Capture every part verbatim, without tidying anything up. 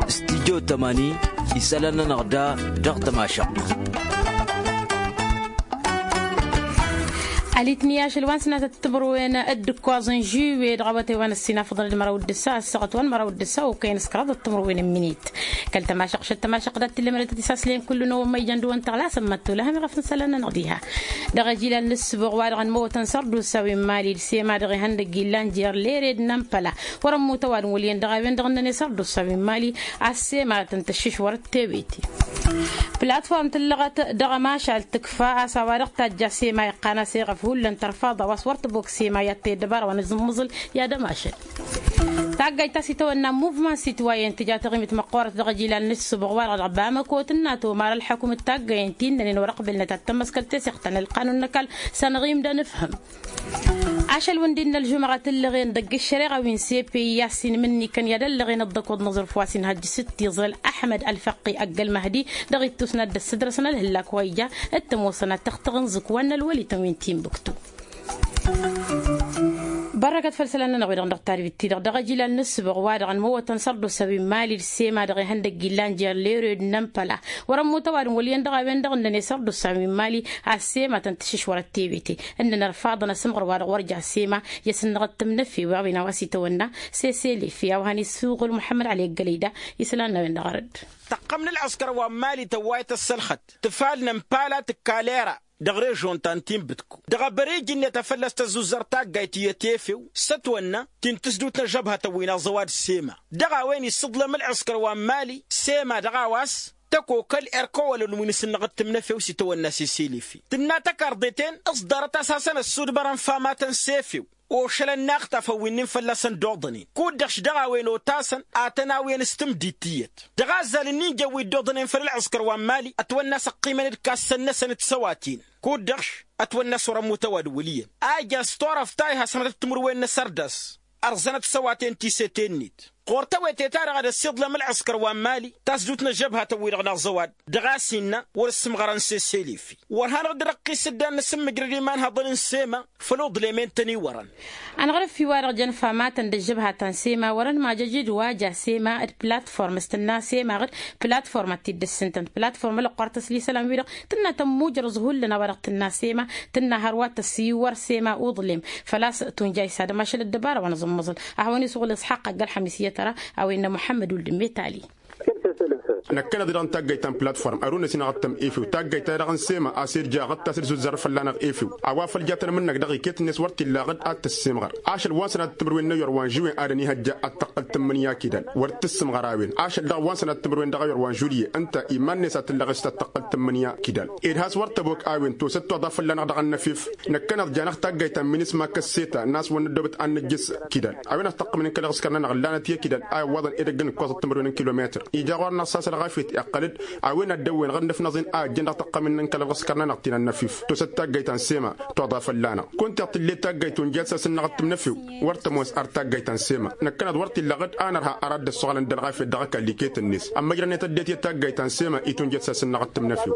Studyo tămani isălan-nănăɣ da dăɣ-tămašăɣt. Alitni ašăl wa n-sănatăt timǝrwen d-ǝkkoẓ n-žuwe dăɣ-awătay wa n-ăssinafăḍăn d-măraw d-ǝssa ăssaɣăt wa n-măraw d-ǝssa okăyăn s-kăraḍăt timǝrwen n-minit. Kăl-tămašăɣt šăt tămašăɣt dat-t-illa mălătăt isaslăyăn kullu n-ăwwăn ma ijăn dăɣ-wăn tăɣlasăm măttu lăhăm iɣăf n-isălan-nănăɣ diha. Dăɣ-ajilal n-ǝssǝboɣ wa-dăɣ ănmăwătăn sărdusa wi n-mali d-sema-dăɣ ihăndăg illan jer-lere d-nămpăla wăr-ămmut ăwadǝm wăl' iyyăn dăɣ-a-wen-dăɣ ǝnnăn i-sărdusa wi n-mali. A-s sema tăn-tǝššǝš wăr-dd-tewete. Platform tǝllăɣăt dăɣ-ămašal tǝkfa a-s a-wa-dăɣ tajja sema iqqan-as eɣăf hullan tărfaḍ a-wa s-wăr tăbok sema i-ad-tăy ăddăbara wa n-aẓǝmmǝẓǝl i-ad-ămašal. Taggayt ta s-itawănna n-muvman sitwayen tǝja taɣimit măqqoorăt dăɣ-ajilal n-ǝssǝboɣ wa-dăɣ dăɣ-bamăko tǝnna tomar ălḥăkum d-taggayen ti ǝnnănen wăr-ăqbǝlnăt ad-tămmăskăl teseɣt ta n-ălqanun n-ăkall. S-anăɣ-imdăn ǝfhǝm. Ašăl wǝndin n-ălžumăɣa tǝllăɣen dăgg-ǝššăreɣa wi n-sepe i-ad-sinmǝnnikăn i-ad-ăllăɣen ăḍḍăkoḍ n-aẓrǝf wa s-inhăjj s-dd-iẓrăl ăḥmăd ălfăqqi ăgg-ălmăhdi. Dăɣ-ittus n-ad-dd-ăssădrăsăn ălhǝllak wa ija t-ămoosăn ad-tăɣtăɣ n-zǝkwan n-ălwăli tăn-wi n-tinbǝktu. Bărrăkăt făll-isălan-nănăɣ wi-dăɣ dăɣ-tarbit-ti-dăɣ dăɣ-ajilal n-ǝssǝbăɣ wa-dăɣ ănmăwătăn sărdusa wi n-mali d-sema-dăɣ ihăndăg illan jer-lere d-inămpăla. Wăr-ămmut ăwadǝm wăl' iyyăn dăɣ-a-wen-dăɣ ǝnnăn i-sărdusa wi n-mali. A-s sema tăn-tǝššǝš wăr-ăttewete ǝnnăn ărfaḍăn asǝmɣăr wa-dăɣ wăr ja sema i-asǝnnăɣ d-tǝmnăfe wa-wen a-wa s-itawănna. Seselefe a-wa hăn-isuɣǝl muḥămmăd ăli ăggălăyda isălan-năwen dăɣ-arădd. Tăqqăm n-ălɣǝskăr wa n-mali tăwwayăt ăssălxăt tǝfal n-ămpala tǝkka lera dăɣ-režon ta n-tinbǝtku dăɣ-abăre ijǝnniyăt a fălla-s tăzzuzăr taggayt iyyăt efew s-ătwănna ti n-tǝsdut n-ăžžăbhătăn wi n-aẓăwad sema. Dăɣ-a-wen isǝḍlăm ălɣǝskăr wa n-mali sema dăɣ-a-wa s-tăkokăl erkăwălăn wi n-asǝnnăɣ d-tǝmnăfew s-itawănna seselefe tǝnna tăkarḍe-ten ǝẓḍărăt a-s hasăn-ăssudmărăn famatăn s-efew ošălăn n-axtafăn wi n-in fălla-săn d-oḍănen kud-dăɣ š-dăɣ-a-wen otasăn atăn-awǝyăn s-tǝmdit tiyyăt. Dăɣ-azzal ǝnnin jăn wi dd-oḍănen făll-ălɣǝskăr wa n-mali ătwănna a-s ăqqimăn d-kassăn-năsăn d-săwaten kud-dăɣ š-ătwănna a-s wăr-ămmut ăwadǝm wăl' iyyăn a ijan s-turăft ta ihasmătăt timǝrwen n-asărdas. Ărẓănăt săwaten ti sete-net ɣur-tawăte-ta-dăɣ ad-ăssiḍlăm ălɣǝskăr wa n-mali tasdut n-ăžžăbhatăn-wi-dăɣ n-aẓăwad dăɣ-a-s innă wăr-ǝssǝmɣărăn seselefe wăr hanăɣ-dd-răqqis ǝddan n-asǝmmǝjrăd imanhăḍăn n-sema. Făll-uḍlem i n-tăn-iwărăn. Anɣăr-ǝffi-wa-dăɣ jăn famatăn d-ăžžăbhatăn sema wăr-ănmajăj d-wa ja sema d-platform s-tǝnna sema ɣǝd platform ad-t-dd-ǝssǝntăn platform ălăqqoar tăslisălan-wi-dăɣ tǝnna tămmujrăẓ hullan a-wa-dăɣ tǝnna sema. Tǝnna hărwa tăsiwăr sema uḍlem făl-a-s tunjay s-ad-ămašăl ăddăbara wa n-aẓǝmmăẓǝl. A hawăn-isuɣǝl isxaqq agg-ălxămis iyyăt ăra a-wa innă muḥămmăd wuldd n-metali. Năkkăneḍ-i-dăɣ n-taggayt ta n-platform ărun-ăsinăɣ ad-tăm-efew taggayt-ta-dăɣ n-sema a-s irja ɣǝd ta s-dd-zuzzărăr fălla-năɣ efew a-wa făl ja tăn-ămǝnnăk dăɣ-iket-net wăr t-illa ɣǝd ad-tǝssǝmɣăr. Ašăl wa n-sănat timǝrwen n-ewăr wa n-žuwen ad-ănihăjja ad-tăqqǝl tǝmmǝnǝya kidal wăr t-ǝssǝmɣăr a-wen ašăl dăɣ-wa n-sănat timǝrwen dăɣ-ewăr wa n-žulye ǝnta iman-net a t-ǝllăɣes ad-tăqqǝl tǝmmǝnǝya kidal. Ed has-wăr tăbok a-wen tosăt toḍa fălla-năɣ dăɣ-ănnăfef. Năkkăneḍ janeɣ taggayt ta n-minisma kăsseta n-a-s wăr năddoobăt ad-nǝjjǝs kidal a-wen ad-tăqqămnen kăl-ăɣǝskăr-nănăɣ ǝllanăt i-kidal a iwwaḍăn edăgg n-ǝkkoẓăt timǝrwen n-kilometăr. Ija ɣur-năɣ s-asălɣafyăt iqqăl-dd a-wen ad-dd-ăwwen ɣǝnnăf n-aẓen a ăjjăn dăɣ-tăqqămin n-kăl-ăɣǝskăr-nănăɣ ti n-ănnăfif tosăt taggayt ta n-sema toḍa fălla-năɣ. Kunta iɣtǝllet taggayt unjat s-asǝnnăɣ d-tǝmnăfew wăr tămoos ar taggayt ta n-sema. Năkkăneḍ wăr t-illa ɣǝd a nărha ar ad-dd-ăssoɣălăn d-ălɣafyăt dăɣ-ăkall iket-net ămmăjrănet ăddinăt i-taggayt ta n-sema i-tunjat s-asǝnnăɣ d-tǝmnăfew.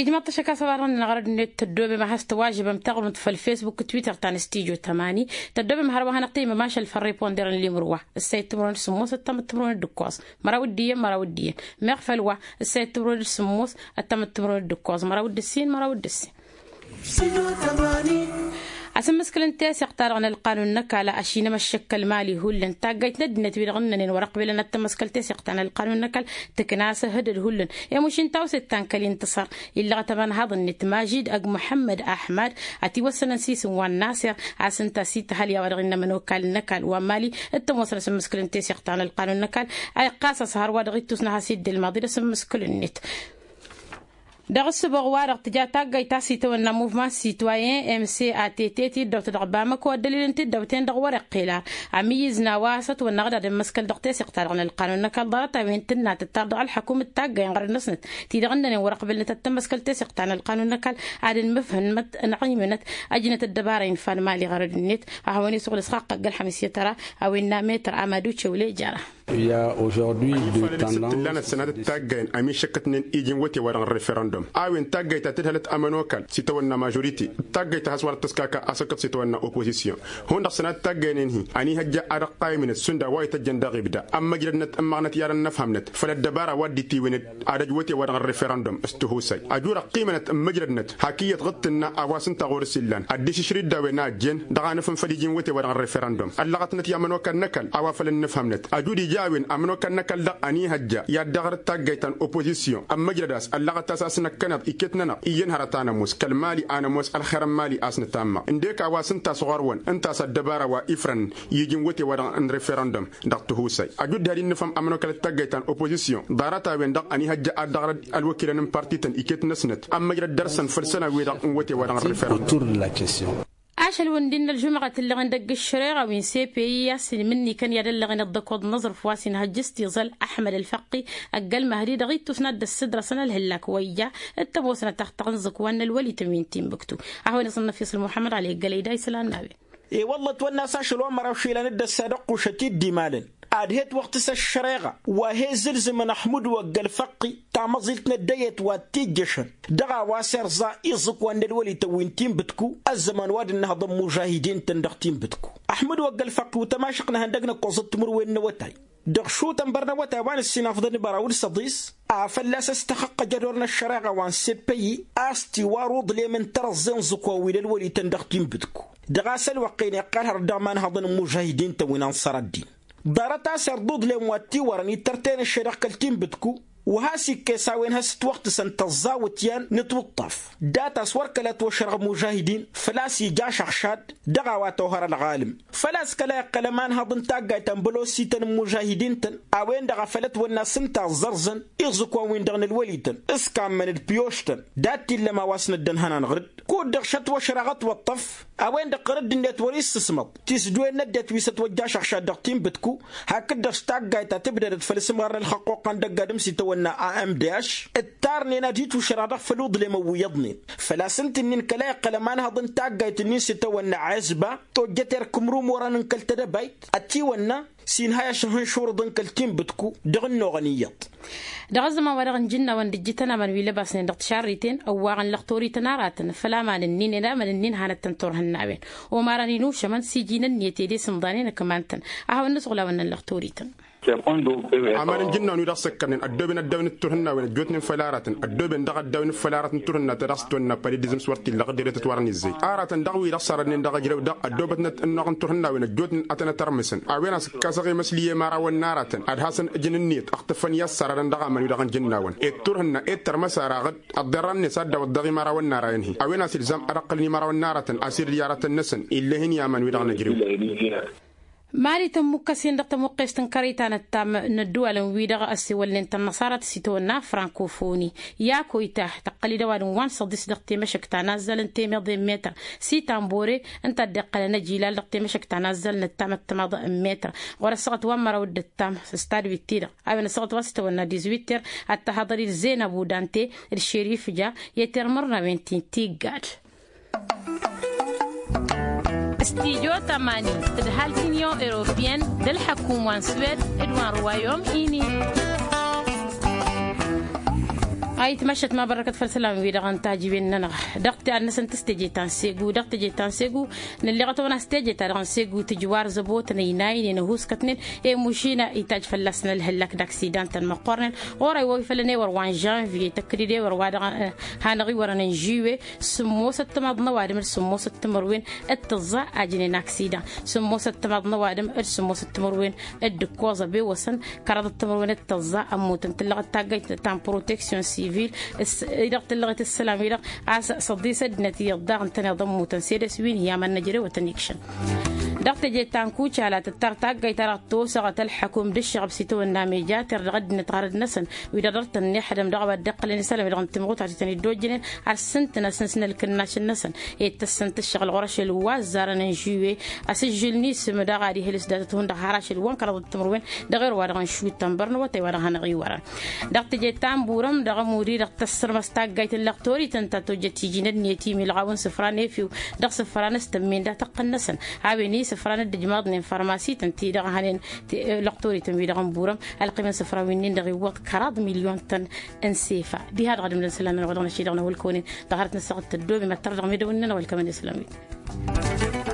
Ijmăḍ-t ašăk a-s ăwadăɣ-nănăɣ arăd-net tăddoobem a has-tăwajǝbăm taɣrǝmt făll-facebook d-twitter ta n-studyo tămani. Tăddoobem hărwa hanăɣ-tăymăm ašăl făll-riponder n-limǝrwa ǝssayăt timǝrwen d-sǝmmos ăttămăt timǝrwen d-ǝkkoẓ măraw d-iyyăn măraw d-iyyăn. Meɣ făll-wa ǝssayăt timǝrwen d-sǝmmos ăttămăt timǝrwen d-ǝkkoẓ măraw d-ǝssin măraw d-ǝssin. Asǝmmǝskǝl n-teseɣt-ta-dăɣ n-ălqanun n-ăkall a ăšinăm ăššăk kăl-mali hullan taggayt n-ăddinăt-wi-dăɣ ǝnnănen wăr-ăqbelăn ad-tămmăskăl teseɣt ta n-ălqanun n-ăkall. Tǝkna a-s ehădăd hullan i-mušin tawset ta n-kăl-intǝṣăr. Illăɣăt ămanhaḍ-net majid ăgg muḥămmăd aḥmad. Ătiwăssănăn s-isǝm wa n-naser a-s ǝnta a-s itǝhăl i-a-wa dăɣ-innă ămănokal n-ăkall wa n-mali. T-ămoosăn asǝmmǝskǝl n-teseɣt ta n-ălqanun n-ăkall a iqqas a-s hărwa dăɣ-ittus n-ad-has-dd-ilmaḍ d-asǝmmǝskǝl-net. Dăɣ-ǝssǝboɣ-wa-dăɣ tǝja taggayt ta s-itawănna muvman sitwayen m c a t t tiddawt dăɣ-bamăko ăddălil n-tiddawt-en-dăɣ wăr-iqqel ar ămǝyyǝz n-a-wa s-ătwănna ad-dd-ămmăskăl dăɣ-teseɣt-ta-dăɣ n-ălqanun n-ăkall ḍarăt-a-wen tǝnna tǝttar dăɣ-ălḥăkum d-taggay n-ɣărăd-năsnăt ti-dăɣ ǝnnănen wăr-ăqbǝlnăt ad-tămmăskăl teseɣt ta n-ălqanun n-ăkall. Ad-ănmǝfhǝnmăt ănɣimnăt ăjnăt ăddăbara infan mali ɣărăd-net. A hawăn-isuɣǝl s-xaqqăgg ălxămis i-tăra a-wen n-ametăr amadu cewle jara. Ălfalăl-i s-dd-tǝllanăt sănatăt taggayen ămišăkkătnen iji n-wăte-wa-dăɣ n-referăndum a-wen taggayt ta tǝdhălăt ămănokal s-itawănna mažorite. Taggayt ta has-wăr dd-tăskaka asăkkăt s-itawănna opozisyon hundăɣ sănatăt taggayen-en-hi ănihăjja ad-ăqqaymǝnăt šund a-wa ităjjăn dăɣ-ibda ămmăjdădnăt ǝmmăɣnăt i-ad-ănnăfhămnăt făll-ăddăbara wa dd-itiwǝnăt ad-ăj wăte-wa-dăɣ n-referăndum s-tihusay ăjud ăqqimănăt ǝmmǝjdădnăt hak iyyăt ɣǝd tǝnna a-wa s-ǝnta ɣur-s illan ăddišǝšrǝd d-a-wen a ăjjeen dăɣ-anǝfǝnfăl iji n-wăte-wa-dăɣ n-referăndum ăllăɣătnăt i-ămănokal n-ăkall a-wa făl ănnăfhămnăt ăjud ija a-wen ămănokal n-ăkall-dăɣ ănihăjja i-ad-dăɣrăt taggayt ta n-opozisyon ămmăjdăd-as ăllăɣăt-as a-s năkkăneḍ iket-nănăɣ iyyăn hărăt a nămoos kăl-mali a nămoos ălxer n-mali a-s nǝtammăɣ ǝndek a-wa s-ǝnta a-s ɣur-wăn ǝnta a-s ăddăbara wa ifrăn i-iji n-wăte-wa-dăɣ n-referăndum dăɣ-tihusay ăjud d-had-innǝfhăm ămănokal d-taggayt ta n-opozisyon ḍarăt-a-wen-dăɣ ănihăjja ad-dăɣrăd ălwăkilăn n-partităn iket-năsnăt ămmăjrăd dăr-săn făll-isălan-wi-dăɣ n-wăte-wa-dăɣ n-referăndum. Ašăl-wăn d-innă ălžumɣăt ǝllăɣen dăgg-ǝššăreɣa wi n-sepeyi a-s inmǝnnikăn i-ad-ăllăɣen dd-ăkoḍ n-aẓrǝf wa s-inhăjj s-tiẓăl ăḥmăd ălfăqqi ăgg-ălmăhdi dăɣ-ittus n-ad-dd-ăssǝdrăsăn ălhǝllak wa ija d-tămoosnăt taxtăɣ n-iẓǝkwan n-ălwălităn wi n-tinbǝktu. A hawăn-iẓǝnnăf isǝl muḥămmăd ăli ăggălăy da isălan n-a-wen. E-wălla ătwănna a-s ašăl wa n-măraw išilan dd-ăssadăqqu šăt-i dd-imalăn ad-he-ătwăɣtǝs ăššăreɣa wa he-zǝlzǝmăn ăḥmud wăgg-ălfăqqi tamăẓilt n-ăddăyăt wa t-ijjăšăn dăɣ-a-wa s-irẓa iẓǝkwan n-ălwălităn wi n-tinbǝtku ăzzăman wa dd-ǝnnăhăḍ ămmužahidin-tăn dăɣ-tinbǝtku. Ăḥmud wăgg-ălfăqqi utămašăq n-ehăndăg n-ǝkkoẓăt timǝrwen n-awătay dăɣ-išutăn bărnăwătay wa n-ǝssinafḍăn ibăraw d-săḍis a fălla-s ăstăxăqqăj ădor n-ăššăreɣa wa n-seppăyyi a-s tiwar uḍlem n-tărăẓẓe n-iẓǝkwan wi n-ălwălităn dăɣ-tinbǝtku dăɣ-a-s ălwăqq-en iqqăl hărăt dăɣ-imanhăḍăn n-imužahidin-tăn wi n-anṣăr ăddin. Ḍarăt a-s irḍuḍlem wa t-iwărăn ittărtăyăn ǝššăy dăɣ-kăl-tinbǝtku wa has-ikkes a-wen has-ǝtwăɣtǝsăn tăẓẓawǝt i-an n-ǝtwǝṭṭaf. Dat-as wăr kăla ătwăšrăɣ imužahidin făl-a-s ija ašăɣšad dăɣ-a-wa tohăr ălɣalǝm. Făl-a-s kăla iqqăl ămanhăḍ n-taggayt ta n-bălosităn n-imužahidin-tăn a-wen-dăɣ a făl ătwănna s-ǝnta ăẓẓărzăn iẓǝkwan-win-dăɣ n-ălwălităn s-kammăn d-piyoštăn. Dat-t-illăm a-wa s-năddănhănan ɣǝr-dd kud-dăɣ šătwăšrăɣ ătwăṭṭăf a-wen-dăɣ ɣǝr-dd-net wăr-issǝsmăḍ tisdǝwen n-ăddinăt wi s-ătwăjja ašăɣšad dăɣ-tinbǝtku. Hakd-dăɣ s-taggayt ta tǝbdădăt făll-isǝmɣar n-ălxăqquqa n-dăgg-adǝm s-itawănna a m d h ǝttarnen ad-itwǝšrăɣ dăɣ-făll-uḍlem ăwwǝyyăḍnen. Făl-a-s ǝnta-nin kăla iqqăl ămanhăḍ n-taggayt-nin s-itawănna ɛezba tojjăt erk imrumurăn n-kăl-tedăbayt ătiwănna s-inhăy ašăhǝnšurǝḍ n-kăl-tinbǝtku dăɣ-ănnuɣăn iyyăḍ. Dăɣ-ăzzăman wa dăɣ-nǝjǝnnawăn d-ǝjjǝtăn aman wi lăbasnen dăɣ-tišarriten ăwwaɣăn lăxtorităn aratăn făll-amanăn-nin ed amanăn-nin hanăt-tăn-turhǝnnawen. Omarăn inušămăn s-iji n-ǝnniyăt ed e-sǝmḍanen ǝkman-tăn. A hawăn-nǝsɣul a wănnăn lăxtorităn. Aman n-ijǝnnawăn wi dăɣ-săkkănnen ăddooben ăddawăn d-turhǝnnawen ăjjootnen făll-aratăn ăddooben dăɣ-ăddawăn făll-aratăn turhǝnna ta dăɣ-s tăwănna pălidizǝm s-wăr t-illăɣ ăddinăt ătwărăn izzăy. Aratăn dăɣ-wi-dăɣ sărădnen dăɣ-ejrăw dăɣ-ăddoobătnăt ănnuɣ n-turhǝnnawen ăjjootnen ad-tăn-ătărmǝsăn a-wen a-s ǝkkasăɣ emăsli i-imărawăn n-aratăn ad-hasăn-ǝjǝn ǝnniyăt ăɣtǝffăn i-ad-sărădăn dăɣ-aman-wi-dăɣ n-ijǝnnawăn ed turhǝnna ed tărmăs araɣ-dd ăḍḍerra-net a dd-awăḍ dăɣ-imărawăn n-ara-en-hi a-wen a-s ilzam ad-ăqqălăn imărawăn n-aratăn a-s irǝyyaratăn-năsăn. Ill'-e-hin i-aman-wi-dăɣ nǝjrew. Mali tămmukkăsen dăɣ-tămuqqest n-kărăy ta n-ăttam n-ădduwalăn-wi-dăɣ ăssewălnen tănnăṣarăt s-itawănna frankofonie. I-ako itah tăqqăl-dd ăwadǝm wa n-săḍis dăɣ-temăšăkt ta nazzăl n-temeḍe n-metăr s-itambore ǝnta a dd-iqqălăn ăjilal dăɣ-temăšăkt ta nazzăl n-ăttam ăttămaḍ n-metăr ɣur-ăssaɣăt wa n-măraw d-ăttam s-tadwit-ti-dăɣ. A-wen ăssaɣăt wa s-tawănna dizwitter ad-tăhaḍăr-dd zenăbu dante d-šerif ja i-termărnawen ti n-tiggad. Stijo tămani tǝdhal tinyon europiyăn d-ălḥăkum wa n-swed d-wa n-ruwayom ini. Ayǝtmašăt ma bărrăkăt făll-isălan-wi-dăɣ n-tajǝwen-nănăɣ dăɣ-ti ad-năsăn tǝstejeta n-segu dăɣ-tejeta n-segu. Nǝlleɣăt-awăn a-s tejeta-dăɣ n-segu tǝjwar zăbotăn ăynaynen ăhuuskătnen i-mušina itajj fălla-săn ălhǝllak d-aksidan-tăn măqqornen. Ɣur-ăy wa wi făllăn ewăr wa n-žănviye tăkkăd-dd ewăr wa dăɣ-hanăɣ-iwărăn n-žuwe sǝmmosăt timaḍ n-ăwadǝm d-sǝmmosăt timǝrwen d-tǝẓẓa a jǝnen aksidan. Sǝmmosăt timaḍ n-ăwadǝm d-sǝmmosăt timǝrwen d-ǝkkoẓ ăbewăsăn kăraḍăt timǝrwen d-tǝẓẓa ămmutăn tǝllăɣăt taggăyt ta n-proteksyon sivil. I-dăɣ tǝllăɣet ǝssălan-wi-dăɣ a-s săḍisăt d-inăt iyyăḍ daɣ ǝntăneḍ ămmutăn sedes wi n-hi-amăn năjrewăt ănikšăn. Dăɣ-teje ta n-kucala tǝttar taggăyt ta dăɣ-tosăɣăt ălḥăkum d-ǝššăɣăb s-itawănna mejater dăɣ-ăddinăt ɣarăd-năsăn wi-dăɣ dăr-tăn-nixdăm dăɣ-a-wa dd-iqqălăn isălan wi-dăɣ n-timɣutar ti tăn-dd-ojjănen. Ad-sǝntǝnăsnăsnăl kǝnnašăn-năsăn i-tăssăn tǝššăɣǝl ɣur-ašăl wa ăzzarăn n-žuwe. Asǝžžǝl n-isǝm daɣ ad-ihǝlǝs datăt hundăɣ har ašăl wa n-kăraḍăt timǝrwen dăɣ-erwa dăɣ-nǝšutăn bărnăwătay wa dăɣ-hanăɣ-iwărăn. Dăɣ-teje ta n-burăm dăɣ-ămuri-dăɣ tăssărmăs taggayt n-lăqtorităn ta tojjăt iji n-ănniyăt imilɣaw n-sǝfra n-efew dăɣ-sǝfra n-s tămmen dat-ăqqǝn-năsăn. A-wen-i isǝfran dd-ijmaḍnen farmasităn-ti-dăɣ hănen. Lăqtorităn-wi-dăɣ n-burăm ălqim n-isǝfran wi-nin-dăɣ iwwăḍ kăraḍ milyon-tăn n-sefa. Diha-dăɣ d-imdăn isălan-nănăɣ wa dăɣ-năšidăɣ n-ahulkăwăn-in dăɣ-hărăt n-ăssaɣăt tăddoobem ăttăr dăɣ-medăwăn-nănăɣ wa ălkămăn isălan-wi-dăɣ.